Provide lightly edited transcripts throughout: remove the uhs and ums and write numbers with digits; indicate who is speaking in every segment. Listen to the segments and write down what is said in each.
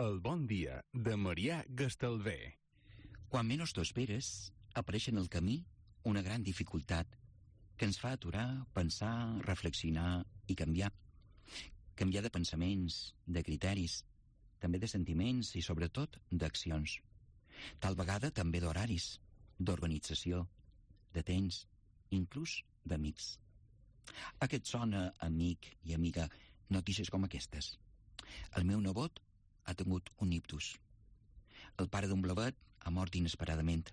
Speaker 1: El bon dia de Marià Gastalver.
Speaker 2: Quan menys t'ho esperes, apareix en el camí una gran dificultat que ens fa aturar, pensar, reflexionar i canviar. Canviar de pensaments, de criteris, també de sentiments i, sobretot, d'accions. Tal vegada també d'horaris, d'organització, de temps, inclús d'amics. A què et sona, amic i amiga, notícies com aquestes? El meu nebot ha tingut un ictus. El pare d'un blavet ha mort inesperadament.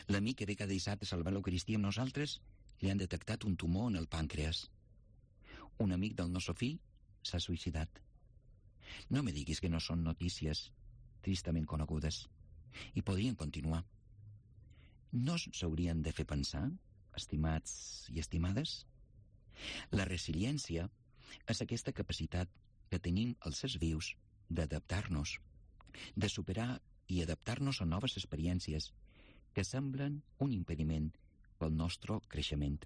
Speaker 2: L'amic que ve cada dissabte a celebrar l'Eucaristia amb nosaltres li han detectat un tumor en el pàncreas. Un amic del nostre fill s'ha suïcidat. No me diguis que no són notícies tristament conegudes. I podrien continuar. No s'haurien de fer pensar, estimats i estimades? La resiliència és aquesta capacitat que tenim els éssers vius d'adaptar-nos, de superar i adaptar-nos a noves experiències que semblen un impediment pel nostre creixement.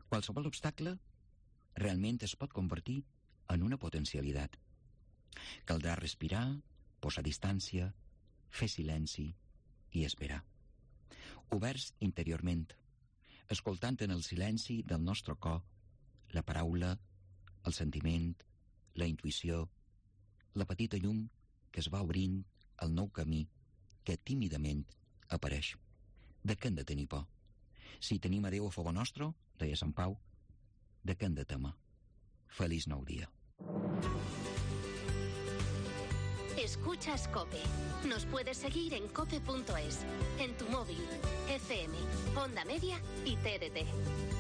Speaker 2: Qualsevol obstacle realment es pot convertir en una potencialitat. Caldrà respirar, posar distància, fer silenci i esperar. Oberts interiorment, escoltant en el silenci del nostre cor la paraula, el sentiment, la intuïció, la petita llum que es va obrint al nou camí que tímidament apareix. De què hem de tenir por? Si tenim a Déu a favor nostre, deia Sant Pau, de què hem de temer? Feliç nou dia.
Speaker 3: Escuchas COPE. Nos puedes seguir en cope.es, en tu móvil, FM, Onda Media y TDT.